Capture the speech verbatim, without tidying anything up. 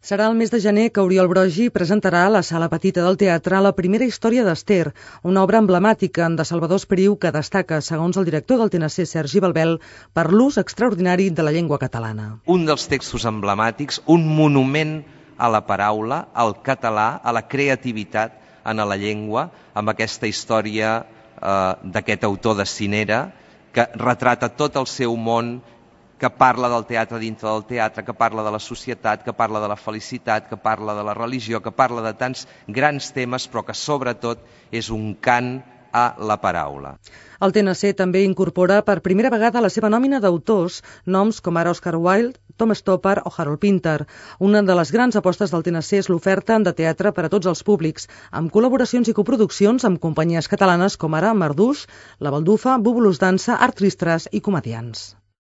Serà el mes de gener que Oriol Brogi presentarà a la Sala Petita del Teatre la primera història d'Ester, una obra emblemàtica de Salvador Espriu que destaca, segons el director del T N C, Sergi Balbel, per l'ús extraordinari de la llengua catalana. Un dels textos emblemàtics, un monument a la paraula, al català, a la creativitat en la llengua, amb aquesta història eh, d'aquest autor de Cinera, que retrata tot el seu món, que parla del teatre dintre del teatre, que parla de la societat, que parla de la felicitat, que parla de la religió, que parla de tants grans temes, però que sobretot és un cant a la paraula. El T N C també incorpora per primera vegada a la seva nòmina d'autors noms com ara Oscar Wilde, Tom Stoppard o Harold Pinter. Una de les grans apostes del T N C és l'oferta de teatre per a tots els públics, amb col·laboracions i coproduccions amb companyies catalanes com ara Marduix, La Baldufa, Búbulos Dansa, Art Tristras i Comediants.